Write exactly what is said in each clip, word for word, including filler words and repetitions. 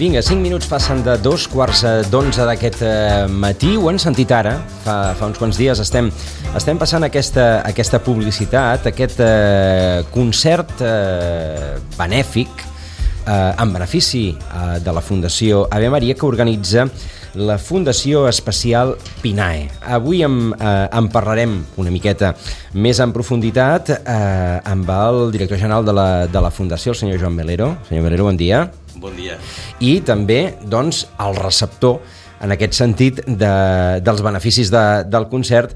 Vinga, cinc minuts passen de dos quarts d'onze d'aquest matí. Ho hem sentit ara, fa, fa uns quants dies. Estem, estem passant aquesta, aquesta publicitat, aquest eh, concert eh, benèfic eh, en benefici eh, de la Fundació Ave Maria que organitza la Fundació Especial Pinae. Avui en, eh, en parlarem una miqueta més en profunditat eh, amb el director general de la, de la Fundació, el senyor Joan Melero. Senyor Melero, bon dia. Bon dia. I també, doncs, el receptor, en aquest sentit, de, dels beneficis de, del concert,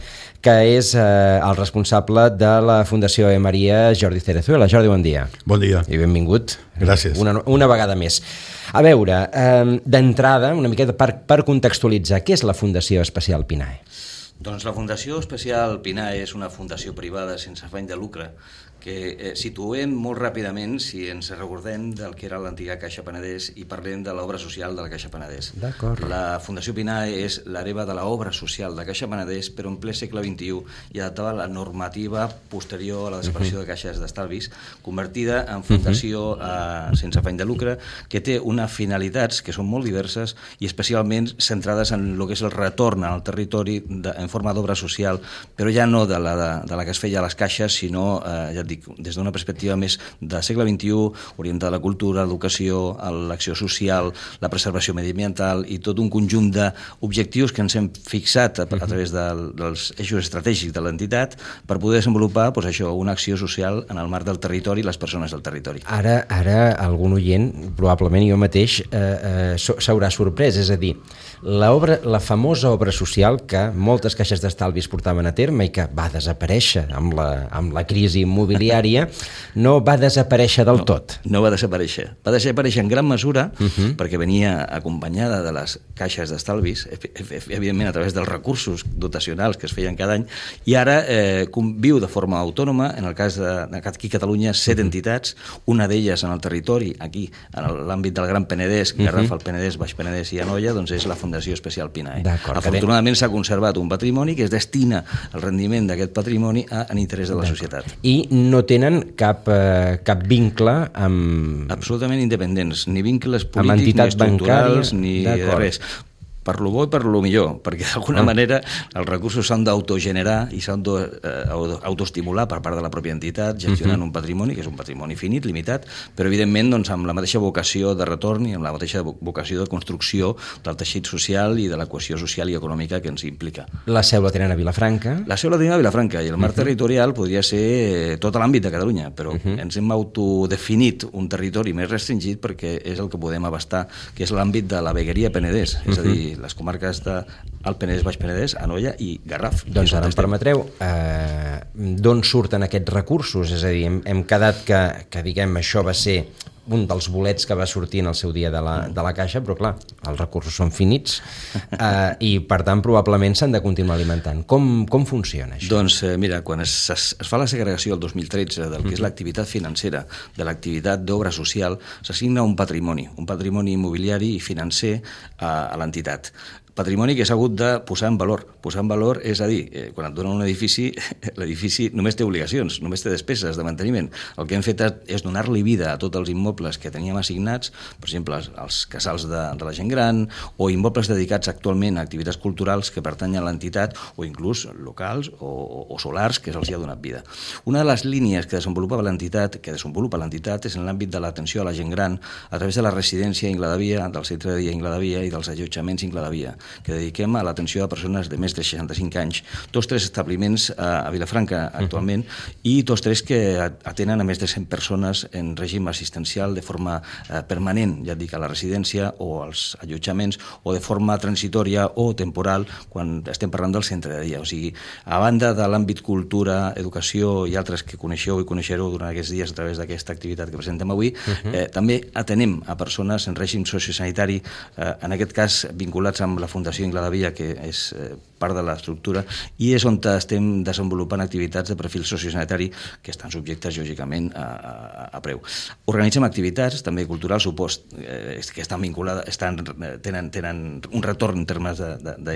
que és eh, el responsable de la Fundació Ave Maria, Jordi Cerezuela. Jordi, bon dia. Bon dia. I benvingut. Gràcies. Una, una vegada més. A veure, eh, d'entrada, una miqueta per, per contextualitzar, què és la Fundació Especial Pinae? Doncs la Fundació Especial Pinae és una fundació privada sense afany de lucre que eh, situem molt ràpidament, si ens recordem del que era l'antiga Caixa Penedès i parlem de l'obra social de la Caixa Penedès. D'acord. La Fundació Pinae és l'hereva de l'obra social de Caixa Penedès, però en ple segle vint-i-u i adaptada a la normativa posterior a la desaparició uh -huh. de caixes d'estalvis, convertida en fundació uh -huh. eh, sense afany de lucre, que té unes finalitats que són molt diverses i especialment centrades en el que és el retorn al territori de, en forma d'obra social, però ja no de la, de, de la que es feia a les caixes, sinó, eh, ja et dic, des d'una perspectiva més de segle vint-i-u, orientada a la cultura, l'educació, a l'acció social, la preservació mediambiental i tot un conjunt d'objectius que ens hem fixat a, a través de, dels eixos estratègics de l'entitat per poder desenvolupar doncs, això, una acció social en el marc del territori i les persones del territori. Ara, ara algun oient, probablement jo mateix, eh, eh, s'haurà sorprès, és a dir, la, obra, la famosa obra social que moltes caixes d'estalvis portaven a terme i que va desaparèixer amb la, amb la crisi immobiliària, no va desaparèixer del no, tot. No va desaparèixer. Va desaparèixer en gran mesura uh -huh. perquè venia acompanyada de les caixes d'estalvis, evidentment a través dels recursos dotacionals que es feien cada any, i ara eh, viu de forma autònoma, en el cas de, aquí a Catalunya, set uh -huh. entitats, una d'elles en el territori, aquí, en l'àmbit del Gran Penedès, Garraf, uh -huh. el Penedès, Baix Penedès i Anoia, doncs és la Fundació Especial Pinae. Afortunadament s'ha conservat un patrimoni que es destina el rendiment d'aquest patrimoni a, en interès de la societat. I no tenen cap, eh, cap vincle amb... Absolutament independents, ni vincles polítics, ni estructurals, ni res. Per lo bo i per lo millor, perquè d'alguna ah. manera els recursos s'han d'autogenerar i s'han d'autoestimular per part de la pròpia entitat, gestionant uh -huh. un patrimoni, que és un patrimoni finit, limitat, però evidentment doncs, amb la mateixa vocació de retorn i amb la mateixa vocació de construcció del teixit social i de la cohesió social i econòmica que ens implica. La seu la tenen a Vilafranca? La seu la tenen a Vilafranca i el marc uh -huh. territorial podria ser tot l'àmbit de Catalunya, però uh -huh. ens hem autodefinit un territori més restringit perquè és el que podem abastar, que és l'àmbit de la vegueria Penedès, és uh -huh. a dir, les comarques del Penedès, Baix Penedès, Anoia i Garraf. Doncs ara em permetreu, eh, d'on surten aquests recursos? És a dir, hem, hem quedat que, que diguem, això va ser un dels bolets que va sortir en el seu dia de la, de la Caixa, però clar, els recursos són finits eh, i per tant probablement s'han de continuar alimentant. Com, com funciona això? Doncs eh, mira, quan es, es, es fa la segregació el dos mil tretze del que és l'activitat financera de l'activitat d'obra social, s'assigna un patrimoni, un patrimoni immobiliari i financer a, a l'entitat. Patrimoni que s'ha hagut de posar en valor. Posar en valor és a dir, eh, quan et donen un edifici, l'edifici només té obligacions, només té despeses de manteniment. El que hem fet és donar-li vida a tots els immobles que teníem assignats, per exemple, els casals de, de la gent gran, o immobles dedicats actualment a activitats culturals que pertanyen a l'entitat, o inclús locals o, o solars que se'ls ha donat vida. Una de les línies que desenvolupa l'entitat, que desenvolupa l'entitat és en l'àmbit de l'atenció a la gent gran a través de la residència Ingla de Via, del centre de dia Ingla de Via i dels allotjaments Ingla de Via, que dediquem a l'atenció a persones de més de seixanta-cinc anys, tots tres establiments a Vilafranca actualment, uh -huh. i tots tres que atenen a més de cent persones en règim assistencial de forma eh, permanent, ja et dic, a la residència o als allotjaments, o de forma transitòria o temporal quan estem parlant del centre de dia. O sigui, a banda de l'àmbit cultura, educació i altres que coneixeu i coneixereu durant aquests dies a través d'aquesta activitat que presentem avui, uh -huh. eh, també atenem a persones en règim sociosanitari, eh, en aquest cas vinculats amb la Fundació Ingla de Via, que és eh, part de l'estructura, i és on estem desenvolupant activitats de perfil sociosanitari que estan subjectes, lògicament, a, a, a preu. Organitzem activitats, també culturals, supost, eh, que estan vinculades, estan, tenen, tenen un retorn en termes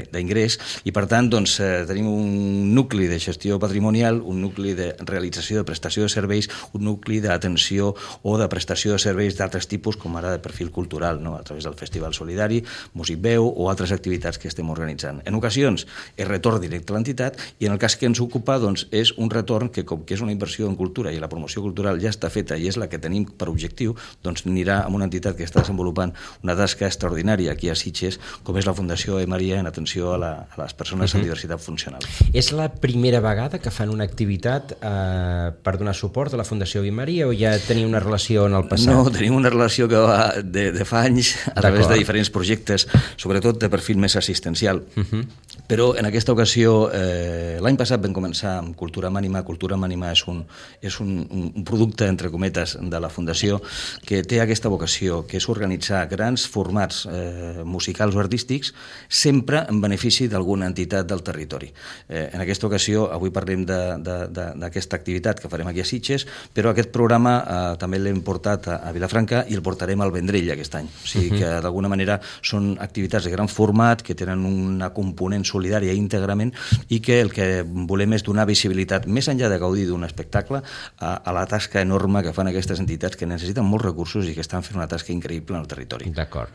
d'ingrés, i per tant doncs, eh, tenim un nucli de gestió patrimonial, un nucli de realització de prestació de serveis, un nucli d'atenció o de prestació de serveis d'altres tipus, com ara de perfil cultural, no? A través del Festival Solidari, Músic Veu o altres activitats que estem organitzant. En ocasions és retorn directe a l'entitat, i en el cas que ens ocupa doncs, és un retorn que, com que és una inversió en cultura i la promoció cultural ja està feta i és la que tenim per objectiu, doncs anirà a una entitat que està desenvolupant una tasca extraordinària aquí a Sitges, com és la Fundació E. Maria en atenció a, la, a les persones uh-huh. amb diversitat funcional. És la primera vegada que fan una activitat eh, per donar suport a la Fundació E. Maria, o ja teniu una relació en el passat? No, tenim una relació que va de, de fa anys a través de diferents projectes, sobretot de perfil més assistencial. Uh-huh. Però en aquesta ocasió, eh, l'any passat vam començar amb Cultura Mànima. Cultura Mànima és, un, és un, un producte, entre cometes, de la Fundació que té aquesta vocació, que és organitzar grans formats eh, musicals o artístics, sempre en benefici d'alguna entitat del territori. Eh, en aquesta ocasió, avui parlem d'aquesta activitat que farem aquí a Sitges, però aquest programa eh, també l'hem portat a, a Vilafranca i el portarem al Vendrell aquest any. O sigui que, d'alguna manera, són activitats de gran format, que tenen una component solidària íntegrament, i que el que volem és donar visibilitat, més enllà de gaudir d'un espectacle, a, a la tasca enorme que fan aquestes entitats, que necessiten molts recursos i que estan fent una tasca increïble en el territori. D'acord.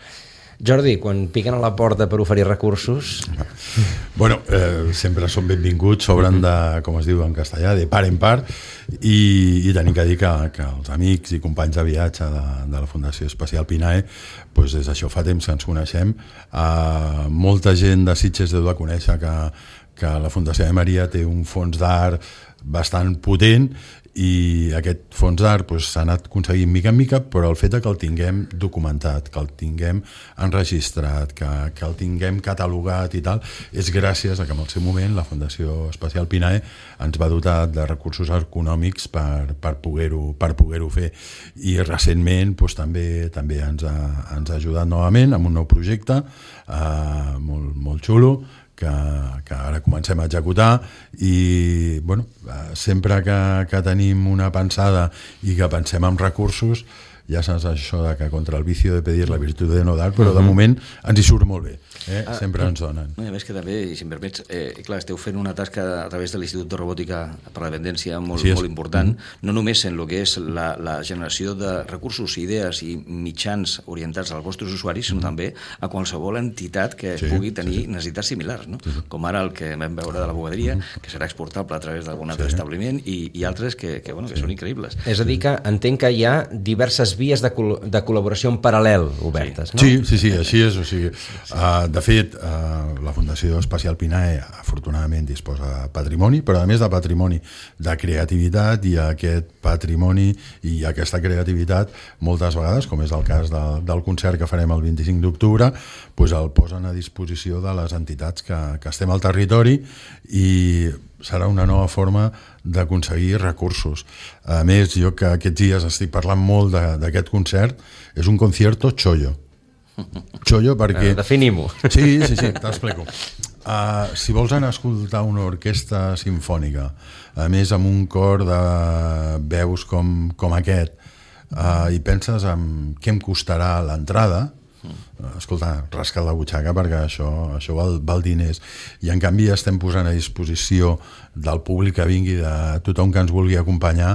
Jordi, quan piquen a la porta per oferir recursos... Bueno, eh, sempre són benvinguts, s'obren de, com es diu en castellà, de part en part, i, i tenim que dir que, que els amics i companys de viatge de, de la Fundació Especial Pinae, doncs des d'això fa temps que ens coneixem. Eh, molta gent de Sitges deu de conèixer que, que la Fundació E. Maria té un fons d'art bastant potent, i aquest fons d'art doncs, s'ha anat aconseguint mica en mica, però el fet que el tinguem documentat, que el tinguem enregistrat, que, que el tinguem catalogat i tal, és gràcies a que en el seu moment la Fundació Especial Pinae ens va dotar de recursos econòmics per, per poder-ho per poder-ho fer, i recentment doncs, també també ens ha, ens ha ajudat novament amb un nou projecte eh, molt, molt xulo, que, que ara comencem a executar, i bueno, sempre que, que tenim una pensada i que pensem en recursos, ja saps això de que contra el vicio de pedir la virtud de no dar, però de moment ens hi surt molt bé, eh? ah, sempre ens donen. No, a més que també, i si em permets, eh, clar, esteu fent una tasca a través de l'Institut de Robòtica per la Dependència molt, sí, és... molt important, mm-hmm. no només en el que és la, la generació de recursos, idees i mitjans orientats als vostres usuaris, sinó mm-hmm. també a qualsevol entitat que sí, pugui tenir sí. necessitats similars, no? Sí. Com ara el que vam veure de la bugaderia, mm-hmm. que serà exportable a través d'algun altre sí. establiment, i, i altres que, que, bueno, que sí. són increïbles. És a dir, que entenc que hi ha diverses vies de, col de col·laboració en paral·lel obertes, sí. no? Sí, sí, sí, així és. O sigui, uh, de fet, uh, la Fundació Especial Pinae afortunadament disposa de patrimoni, però a més de patrimoni de creativitat, i aquest patrimoni i aquesta creativitat moltes vegades, com és el cas de, del concert que farem el vint-i-cinc d'octubre, doncs el posen a disposició de les entitats que, que estem al territori, i serà una nova forma d'aconseguir recursos. A més, jo que aquests dies estic parlant molt d'aquest concert, és un concierto chollo. Chollo perquè... Uh, Definim-ho. Sí, sí, sí, t'explico. Uh, si vols anar a escoltar una orquestra sinfònica, a més amb un cor de veus com, com aquest, uh, i penses en què em costarà l'entrada, escolta, rasca't la butxaca, perquè això, això val, val diners, i en canvi estem posant a disposició del públic que vingui, de tothom que ens vulgui acompanyar,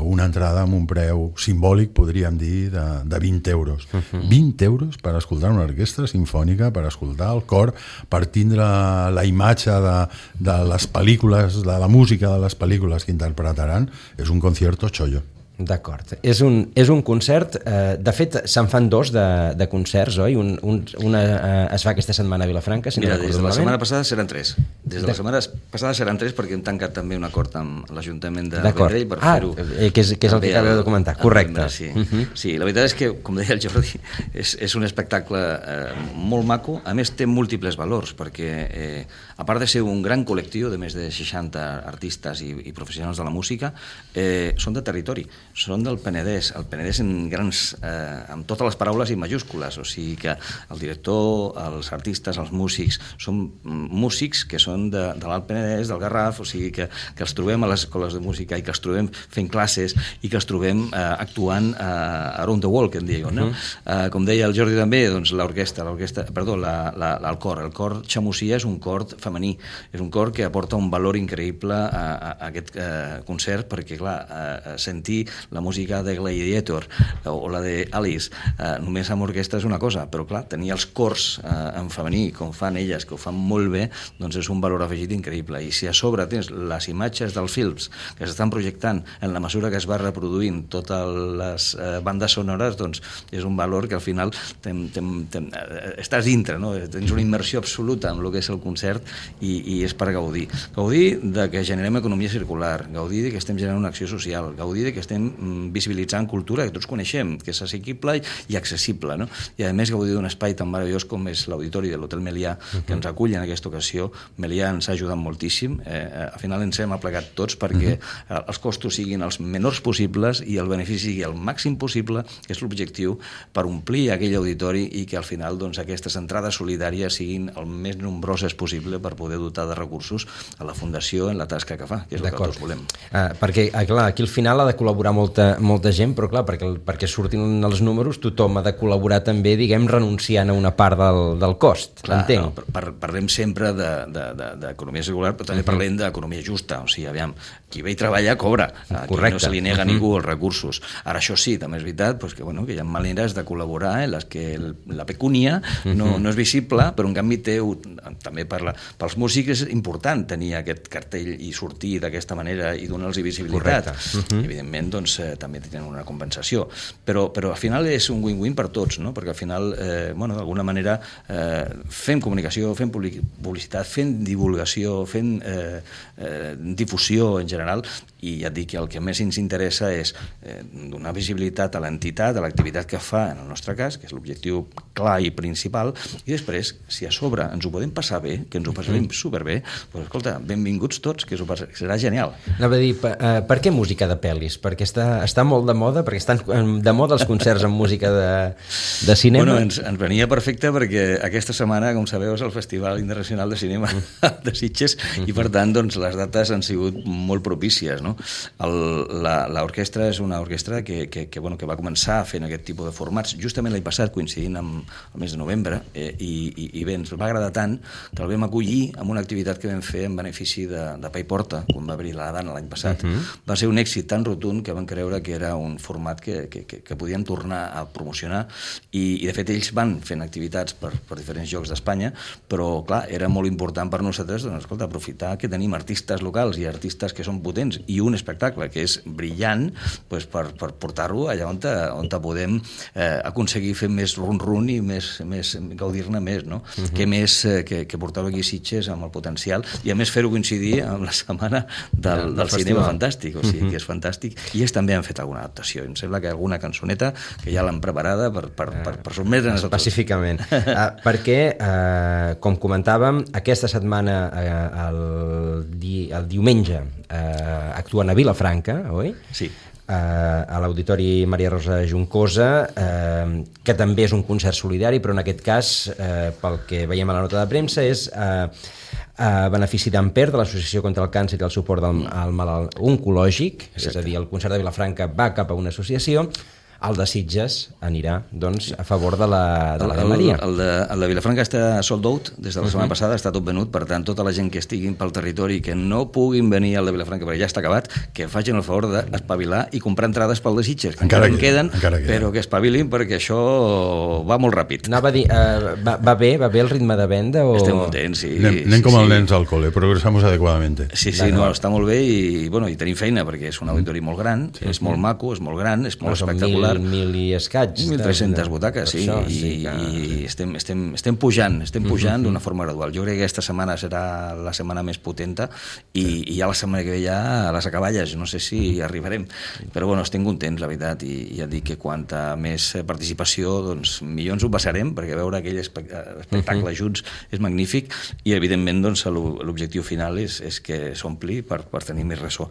una entrada amb un preu simbòlic, podríem dir, de, de vint euros. Uh-huh. vint euros per escoltar una orquestra sinfònica, per escoltar el cor, per tindre la imatge de, de les pel·lícules, de la música de les pel·lícules que interpretaran. És un concierto chollo. D'acord. És, un, és un concert, eh, de fet se'n fan dos de, de concerts, oi? Un, un, una eh, es fa aquesta setmana a Vilafranca, si Mira, no des de la setmana passada seran tres. Des de la setmana passada seran tres perquè hem tancat també un acord amb l'Ajuntament de Vendrell per ah, fer-ho. Eh, que és, que és el que acabeu de comentar, correcte. Sí. Uh-huh. sí, la veritat és que, com deia el Jordi, és, és un espectacle eh, molt maco, a més té múltiples valors, perquè eh, a part de ser un gran col·lectiu de més de seixanta artistes i, i professionals de la música, eh, són de territori. són del Penedès, el Penedès en grans, eh, amb totes les paraules i majúscules, o sigui que el director, els artistes, els músics, són músics que són de, de l'Alt Penedès, del Garraf, o sigui que, que els trobem a les escoles de música i que els trobem fent classes i que els trobem eh, actuant eh, around the world, que en diuen, no? Uh-huh. eh, com deia el Jordi també, doncs l'orquestra, l'orquestra, perdó, la, la, el cor, el cor xamosia és un cor femení, és un cor que aporta un valor increïble a, a, a aquest eh, concert, perquè clar, eh, sentir la música de Gladiator o, o la de Alice eh, només amb orquestra és una cosa, però clar, tenir els cors eh, en femení, com fan elles, que ho fan molt bé, doncs és un valor afegit increïble. I si a sobre tens les imatges dels films que s'estan projectant en la mesura que es va reproduint totes les eh, bandes sonores, doncs és un valor que al final tem, tem, tem, eh, estàs dintre, no? Tens una immersió absoluta en el que és el concert i, i és per gaudir. Gaudir de que generem economia circular, gaudir de que estem generant una acció social, gaudir de que estem visibilitzant cultura que tots coneixem, que és assequible i accessible, no? I a més gaudir d'un espai tan meravellós com és l'auditori de l'Hotel Melià, que ens acull en aquesta ocasió. Melià ens ha ajudat moltíssim, eh, al final ens hem aplegat tots perquè uh-huh. els costos siguin els menors possibles i el benefici sigui el màxim possible, que és l'objectiu, per omplir aquell auditori i que al final doncs, aquestes entrades solidàries siguin el més nombroses possible per poder dotar de recursos a la Fundació en la tasca que fa, que és el que tots volem. Uh, perquè, uh, clar, aquí al final ha de col·laborar molta, molta gent, però clar, perquè, perquè surtin els números tothom ha de col·laborar també, diguem, renunciant a una part del, del cost, clar, entenc. No, par parlem sempre d'economia circular, però també uh -huh. parlem d'economia justa, o sigui, aviam, qui ve i treballa cobra, aquí no se li nega a ningú els recursos. Ara això sí, també és veritat pues, que, bueno, que hi ha maneres de col·laborar en les que el, la pecúnia no, no és visible, però en canvi té, també per la, pels músics és important tenir aquest cartell i sortir d'aquesta manera i donar-los visibilitat. Uh-huh. Evidentment, doncs, eh, també tenen una compensació. Però, però al final és un win-win per tots, no? Perquè al final, eh, bueno, d'alguna manera, eh, fem comunicació, fem publicitat, fem divulgació, fem eh, eh, difusió en general, i ja et dic que el que més ens interessa és eh, donar visibilitat a l'entitat, a l'activitat que fa, en el nostre cas, que és l'objectiu clar i principal, i després, si a sobre ens ho podem passar bé, que ens ho passarem superbé, doncs escolta, benvinguts tots, que passar, serà genial. Anava a dir, per, uh, per què música de pel·lis? Perquè està, està molt de moda, perquè estan de moda els concerts amb música de, de cinema? Bueno, ens, ens venia perfecte perquè aquesta setmana, com sabeu, és el Festival Internacional de Cinema de Sitges i per tant, doncs, les dates han sigut molt propícies, no? L'orquestra és una orquestra que, que, que, bueno, que va començar fent aquest tipus de formats justament l'any passat, coincidint amb el mes de novembre, eh, i, i, i bé, ens va agradar tant que el vam acollir amb una activitat que vam fer en benefici de, de Pa i Porta, quan va obrir la Dana l'any passat. Uh-huh. Va ser un èxit tan rotund que van creure que era un format que, que, que, que podien tornar a promocionar i, i de fet ells van fent activitats per, per diferents llocs d'Espanya, però clar, era molt important per nosaltres, doncs, escolta, aprofitar que tenim artistes locals i artistes que són potents i un espectacle que és brillant, doncs, per, per portar-lo allà on, te, on te podem eh, aconseguir fer més run-run i més, més gaudir-ne més, no? Uh-huh. Que més eh, que, que portar-ho aquí a Sitges amb el potencial i a més fer-ho coincidir amb la setmana del, del cinema fantàstic, o sigui, uh-huh. que és fantàstic, i ells també han fet alguna adaptació, em sembla que alguna cançoneta que ja l'han preparada per, per, per, per sotmetre'ns a tots. Específicament. uh, perquè, uh, com comentàvem, aquesta setmana uh, el, di, el diumenge uh, actuen a Vilafranca, oi? Sí. Uh, a l'Auditori Maria Rosa Juncosa, uh, que també és un concert solidari, però en aquest cas, uh, pel que veiem a la nota de premsa, és uh, a benefici d'Amper, de l'Associació contra el Càncer i el suport del, al malalt oncològic. Exacte. És a dir, el concert de Vilafranca va cap a una associació, el de Sitges anirà, doncs, a favor de la, de la de Maria. El, el, de, el de Vilafranca està sold out des de la setmana uh-huh. passada, està tot venut, per tant, tota la gent que estiguin pel territori que no puguin venir al de Vilafranca perquè ja està acabat, que facin el favor d'espavilar i comprar entrades pel de Sitges, que encara, encara en queden, encara queden, però que espavilin perquè això va molt ràpid. Anava a dir, uh, va, va bé, va bé el ritme de venda? O... Estem contents, sí. Anem, anem sí, com sí. els nens al col·le, progressamos adequadamente. Sí, sí, no, està molt bé i, bueno, i tenim feina perquè és un auditori molt gran, sí, és molt maco, és molt gran, és molt espectacular, mil i escaig. mil tres-centes butaques, sí, això, i, sí que... i estem, estem, estem pujant, estem pujant mm-hmm. d'una forma gradual. Jo crec que aquesta setmana serà la setmana més potenta i, sí. i ja la setmana que ve ja a les acaballes, no sé si mm-hmm. arribarem, però bueno, estem contents, la veritat, i ja dic que quanta més participació, doncs millor ens ho passarem, perquè veure aquell espectacle mm-hmm. junts és magnífic, i evidentment doncs, l'objectiu final és, és que s'ompli per, per tenir més ressò.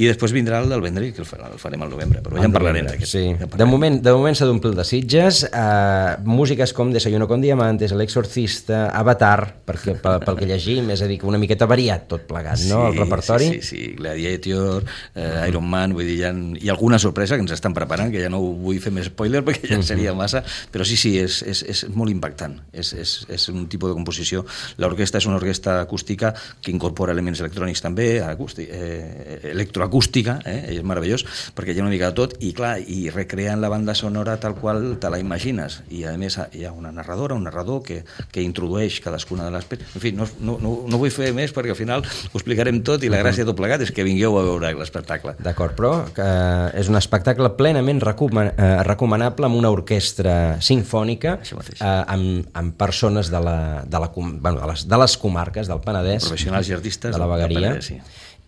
I després vindrà el del Vendrell, que el farem al novembre, però ja en parlarem d'aquest. Sí. Ja de moment, de moment s'ha d'omplir de Sitges, eh, músiques com Desayuno con Diamantes, El Exorcista, Avatar, perquè, pel, pel que llegim, és a dir, que una miqueta variat tot plegat, sí, no?, el repertori. Sí, sí, sí. Gladiator, eh, Iron Man, vull dir, hi ha, hi ha alguna sorpresa que ens estan preparant, que ja no vull fer més spoiler perquè ja seria massa, però sí, sí, és, és, és molt impactant, és, és, és un tipus de composició. L'orquestra és una orquestra acústica que incorpora elements electrònics també, acústic, eh, electroacústica, eh, és meravellós, perquè hi ha una mica de tot, i clar, i recreant la banda sonora tal qual te la imagines, i a més hi ha una narradora, un narrador que, que introdueix cadascuna de les... En fi, no, no, no, no vull fer més perquè al final ho explicarem tot, i la gràcia de tot plegat és que vingueu a veure l'espectacle. D'acord, però eh, és un espectacle plenament recoman eh, recomanable amb una orquestra sinfònica, eh, amb, amb persones de, la, de, la, bueno, de, les, de les comarques del Penedès, professionals i artistes de la vegueria, sí.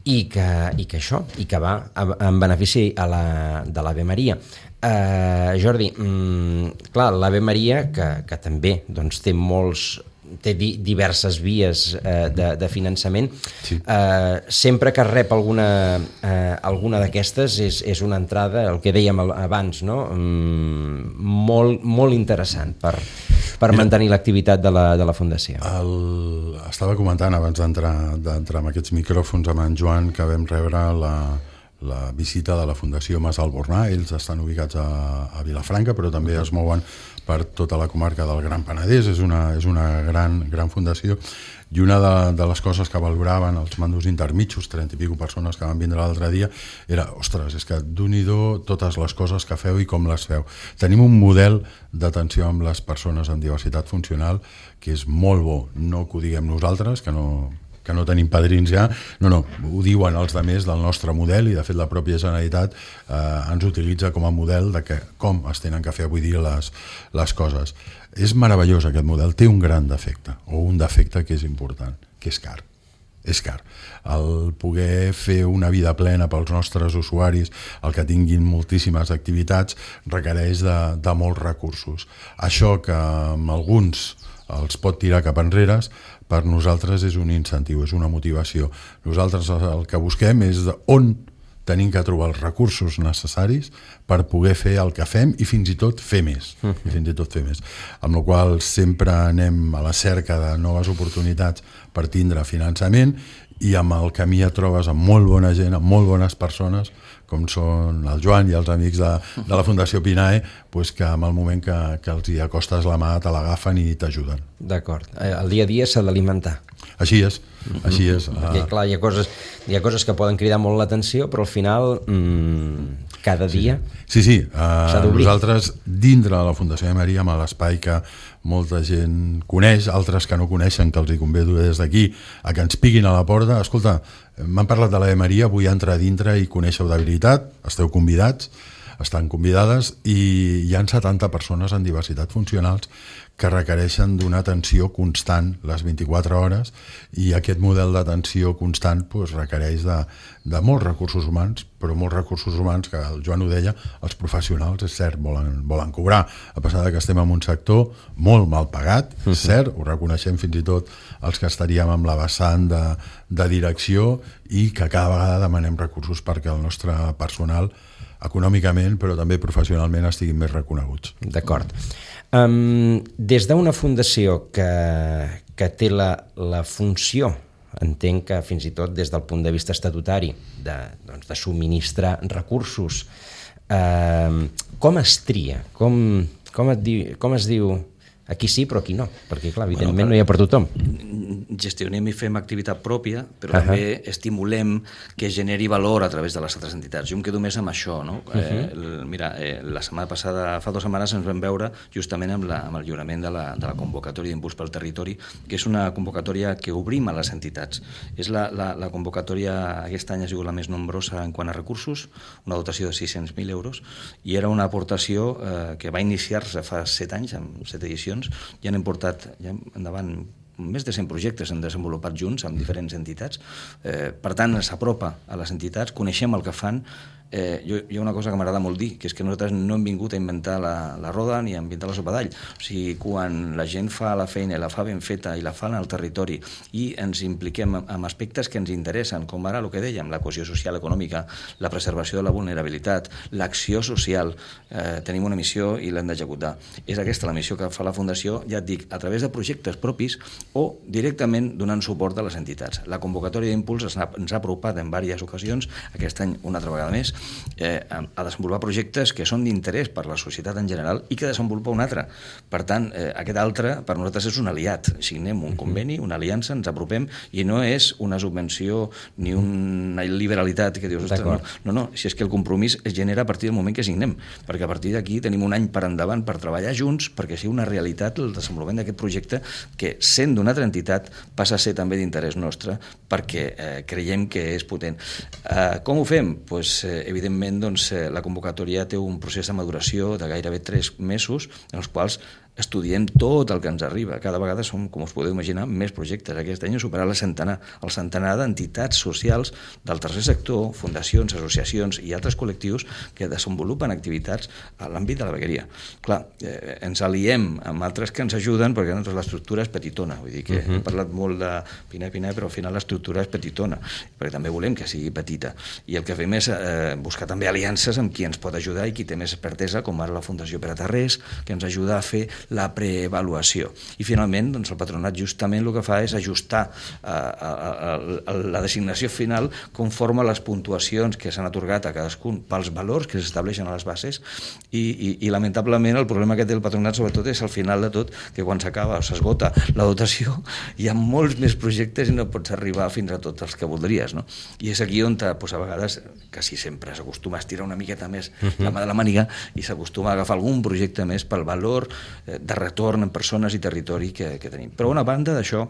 i, que, i que això, i que va en benefici a la, de l'Ave Maria. Uh, Jordi, mm, clar, l'Ave Maria, que, que també doncs, té molts té di diverses vies eh, de, de finançament, sí. eh, sempre que rep alguna, eh, alguna d'aquestes és, és una entrada, el que dèiem abans, no? mm, molt, molt interessant per, per Mira, mantenir l'activitat de, la, de la Fundació. El, estava comentant abans d'entrar d'entrar amb aquests micròfons amb en Joan que vam rebre la, la visita de la Fundació Mas Albornà. Ells estan ubicats a, a Vilafranca, però també es mouen per tota la comarca del Gran Penedès. És una, és una gran, gran fundació, i una de, de les coses que valoraven els mandos intermitjos, trenta i pico persones que van vindre l'altre dia, era, ostres, és que d'un-i-do totes les coses que feu i com les feu. Tenim un model d'atenció amb les persones amb diversitat funcional que és molt bo, no que ho diguem nosaltres, que no... que no tenim padrins ja, no, no, ho diuen els altres del nostre model, i de fet la pròpia Generalitat eh, ens utilitza com a model de que, com es tenen que fer avui dia les, les coses. És meravellós aquest model, té un gran defecte, o un defecte que és important, que és car. És car. El poder fer una vida plena pels nostres usuaris, el que tinguin moltíssimes activitats, requereix de, de molts recursos. Això que amb alguns els pot tirar cap enrere, per nosaltres és un incentiu, és una motivació. Nosaltres el que busquem és on tenim que trobar els recursos necessaris per poder fer el que fem i fins i tot fer més. Uh-huh. I fins i tot fer més. Amb la qual cosa sempre anem a la cerca de noves oportunitats per tindre finançament, i amb el camí et trobes amb molt bona gent, amb molt bones persones, com són el Joan i els amics de, de la Fundació Pinae, pues que en el moment que, que els hi acostes la mà te l'agafen i t'ajuden. D'acord. El dia a dia s'ha d'alimentar. Així és, així és. Perquè, clar, hi ha coses, hi ha coses que poden cridar molt l'atenció, però al final, mmm, cada dia... Sí, sí, sí. Uh, nosaltres, dintre de la Fundació de Maria, amb l'espai que molta gent coneix, altres que no coneixen, que els hi convido des d'aquí a que ens piquin a la porta. Escolta, m'han parlat de l'Ave Maria, vull entrar a dintre i conèixer-ho de veritat, esteu convidats, estan convidades, i hi ha setanta persones en diversitat funcionals que requereixen d'una atenció constant les vint-i-quatre hores, i aquest model d'atenció constant pues, requereix de, de molts recursos humans, però molts recursos humans que el Joan ho deia, els professionals, és cert, volen, volen cobrar, a pesar de que estem en un sector molt mal pagat, és cert, ho reconeixem fins i tot els que estaríem amb la vessant de, de direcció, i que cada vegada demanem recursos perquè el nostre personal econòmicament però també professionalment estiguin més reconeguts. D'acord. Um, des d'una fundació que, que té la, la funció, entenc que fins i tot des del punt de vista estatutari, de, doncs, de subministrar recursos, uh, com es tria? Com, com, et di, com es diu aquí sí però aquí no? Perquè clar, evidentment bueno, per, no hi ha per tothom. gestionem i fem activitat pròpia, però uh -huh. també estimulem que generi valor a través de les altres entitats. Jo em quedo més amb això, no? Uh -huh. eh, mira, eh, la setmana passada, fa dues setmanes, ens vam veure justament amb, la, amb el lliurament de la, de la convocatòria d'Impuls pel Territori, que és una convocatòria que obrim a les entitats. És la, la, la convocatòria aquest any ha sigut la més nombrosa en quant a recursos, una dotació de sis-cents mil euros, i era una aportació eh, que va iniciar-se fa set anys, amb set edicions, i han portat ja endavant més de cent projectes han desenvolupat junts amb diferents entitats. Eh, per tant, s'apropa a les entitats, coneixem el que fan. Eh, jo, hi ha una cosa que m'agrada molt dir, que és que nosaltres no hem vingut a inventar la, la roda ni a inventar la sopa d'all. O sigui, quan la gent fa la feina i la fa ben feta i la fa en el territori i ens impliquem en aspectes que ens interessen, com ara el que dèiem, la cohesió social econòmica, la preservació de la vulnerabilitat, l'acció social, eh, tenim una missió i l'hem d'executar. És aquesta la missió que fa la Fundació, ja et dic, a través de projectes propis o directament donant suport a les entitats. La convocatòria d'Impuls ens ha, ens ha apropat en diverses ocasions, aquest any una altra vegada més, eh, a desenvolupar projectes que són d'interès per la societat en general i que desenvolupa un altre. Per tant, eh, aquest altre per nosaltres és un aliat. Signem un conveni, una aliança, ens apropem i no és una subvenció ni una liberalitat que dius, no, no, no, si és que el compromís es genera a partir del moment que signem, perquè a partir d'aquí tenim un any per endavant per treballar junts perquè sigui una realitat el desenvolupament d'aquest projecte que, sent d'una altra entitat, passa a ser també d'interès nostre perquè eh, creiem que és potent. Eh, com ho fem? Pues, eh, evidentment, doncs, eh, la convocatòria té un procés de maduració de gairebé tres mesos en els quals estudiem tot el que ens arriba. Cada vegada som, com us podeu imaginar, més projectes. Aquest any ha superat el centenar, el centenar d'entitats socials del tercer sector, fundacions, associacions i altres col·lectius que desenvolupen activitats a l'àmbit de la vegueria. Clar, eh, ens aliem amb altres que ens ajuden perquè doncs, l'estructura és petitona. Vull dir que uh-huh. hem parlat molt de Pinar i Pinar, però al final l'estructura és petitona, perquè també volem que sigui petita. I el que fem és eh, buscar també aliances amb qui ens pot ajudar i qui té més expertesa, com ara la Fundació Pere Tarrés, que ens ajuda a fer la preavaluació. I finalment, doncs, el patronat justament el que fa és ajustar eh, a, a, a la designació final conforme a les puntuacions que s'han atorgat a cadascun pels valors que s'estableixen a les bases i, i, i lamentablement el problema que té el patronat sobretot és al final de tot que quan s'acaba o s'esgota la dotació hi ha molts més projectes i no pots arribar fins a tots els que voldries, no? I és aquí on doncs, a vegades, quasi sempre s'acostuma a estirar una miqueta més la mà de la màniga i s'acostuma a agafar algun projecte més pel valor eh, de retorn en persones i territori que, que tenim. Però a una banda d'això,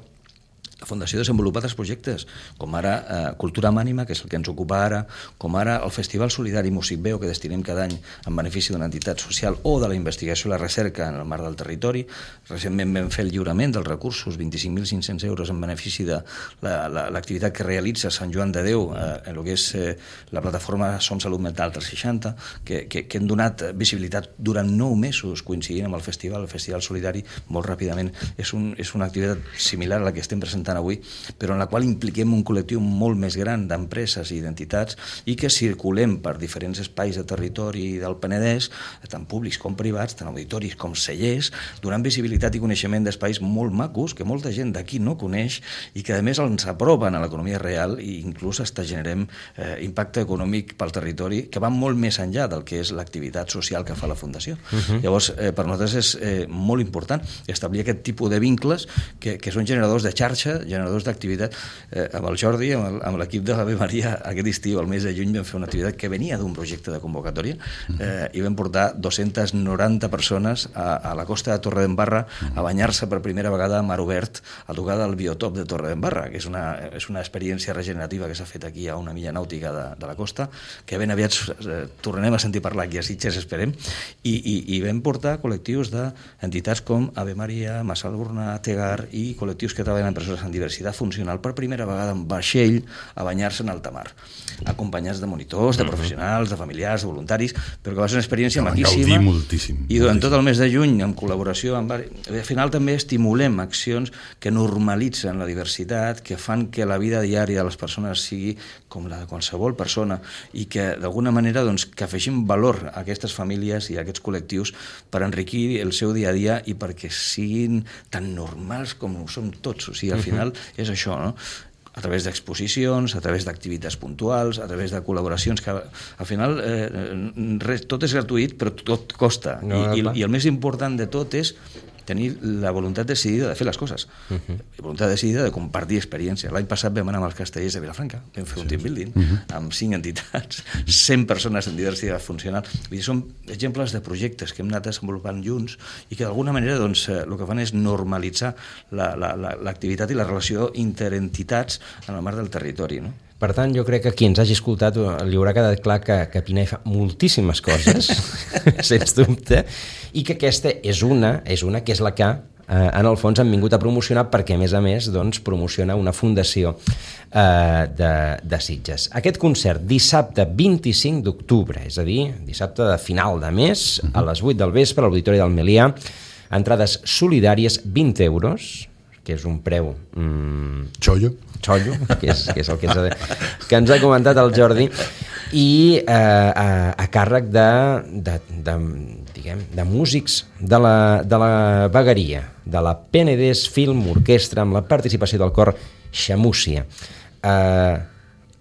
la Fundació desenvolupa altres projectes, com ara eh, Cultura Mànima, que és el que ens ocupa ara, com ara el Festival Solidari Musicveo, que destinem cada any en benefici d'una entitat social o de la investigació i la recerca en el marc del territori. Recentment vam fer el lliurament dels recursos, vint-i-cinc mil cinc-cents euros en benefici de l'activitat la, la, que realitza Sant Joan de Déu eh, en el que és eh, la plataforma Som Salut Mental tres seixanta, que, que, que hem donat visibilitat durant nou mesos coincidint amb el festival, el Festival Solidari, molt ràpidament. És, un, és una activitat similar a la que estem presentant avui, però en la qual impliquem un col·lectiu molt més gran d'empreses i d'entitats i que circulem per diferents espais de territori del Penedès, tant públics com privats, tant auditoris com cellers, donant visibilitat i coneixement d'espais molt macos que molta gent d'aquí no coneix i que a més ens apropen a l'economia real i inclús hasta generem eh, impacte econòmic pel territori que va molt més enllà del que és l'activitat social que fa la Fundació. Uh-huh. Llavors, eh, per nosaltres és eh, molt important establir aquest tipus de vincles que, que són generadors de xarxa, generadors d'activitat. Eh, amb el Jordi, amb l'equip de l'Ave Maria, aquest estiu, al mes de juny, vam fer una activitat que venia d'un projecte de convocatòria eh, i vam portar dues-centes noranta persones a, a la costa de Torredembarra a banyar-se per primera vegada a mar obert a tocar del biotop de Torredembarra, que és una, és una experiència regenerativa que s'ha fet aquí a una milla nàutica de, de la costa, que ben aviat eh, tornem a sentir parlar aquí a Sitges, esperem, i, i, i vam portar col·lectius d'entitats com Ave Maria, Massalburna, Tegar i col·lectius que treballen en persones amb diversitat funcional per primera vegada en vaixell a banyar-se en alta mar, acompanyats de monitors, de professionals, de familiars, de voluntaris, però que va ser una experiència que maquíssima moltíssim, i durant tot el mes de juny, en col·laboració amb... al final també estimulem accions que normalitzen la diversitat, que fan que la vida diària de les persones sigui com la de qualsevol persona i que d'alguna manera doncs, que afegim valor a aquestes famílies i a aquests col·lectius per enriquir el seu dia a dia i perquè siguin tan normals com ho som tots. O sigui, al final és això, no? A través d'exposicions, a través d'activitats puntuals, a través de col·laboracions que al final eh, res, tot és gratuït però tot costa. No, I, i, i el més important de tot és tenir la voluntat decidida de fer les coses, uh-huh. voluntat decidida de compartir experiència. L'any passat vam anar amb els castellers de Vilafranca, vam fer un team building uh-huh. amb cinc entitats, cent persones en diversitat funcional. Vull dir, són exemples de projectes que hem anat desenvolupant junts i que d'alguna manera doncs, el que fan és normalitzar l'activitat la, la, i la relació interentitats en el marc del territori, no? Per tant, jo crec que qui ens hagi escoltat li haurà quedat clar que, que Pinai fa moltíssimes coses, sens dubte, i que aquesta és una, és una que és la que eh, en el fons han vingut a promocionar perquè, a més a més, doncs, promociona una fundació eh, de, de Sitges. Aquest concert, dissabte vint-i-cinc d'octubre, és a dir, dissabte de final de mes, a les vuit del vespre, a l'Auditori del Melià, entrades solidàries, vint euros, que és un preu... Mm, xollo. xollo, que és, que és el que ens, ha, que ens ha comentat el Jordi, i eh, a, a càrrec de, de, de, diguem, de músics de la, de la vegueria, de la Penedès Film Orquestra, amb la participació del cor Xamúcia. Eh,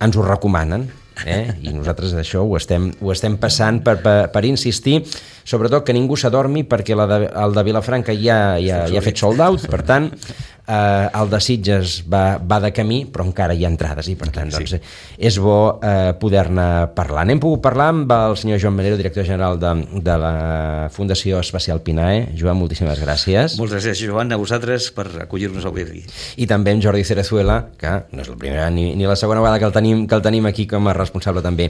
ens ho recomanen, eh? I nosaltres això ho estem, ho estem passant per, per, per insistir, sobretot que ningú s'adormi perquè la de, el de Vilafranca ja, ja, ja ha fet sold out, per tant eh, el de Sitges va, va de camí, però encara hi ha entrades i per tant doncs, és bo eh, poder-ne parlar. N'hem pogut parlar amb el senyor Joan Melero, director general de, de la Fundació Especial Pinae. Joan, moltíssimes gràcies. Moltes gràcies, Joan, a vosaltres per acollir-nos avui aquí. I també amb Jordi Cerezuela, que no és la primera ni, ni la segona vegada que el tenim, que el tenim aquí com a responsable també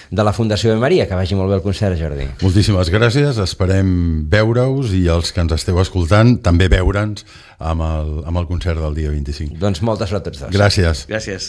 de la Fundació de Maria. Que vagi molt bé el concert, Jordi. Moltíssimes gràcies, esperem veure-us i els que ens esteu escoltant també veure'ns amb el, amb el concert del dia vint-i-cinc. Doncs molta sort a tots dos. Gràcies. Gràcies.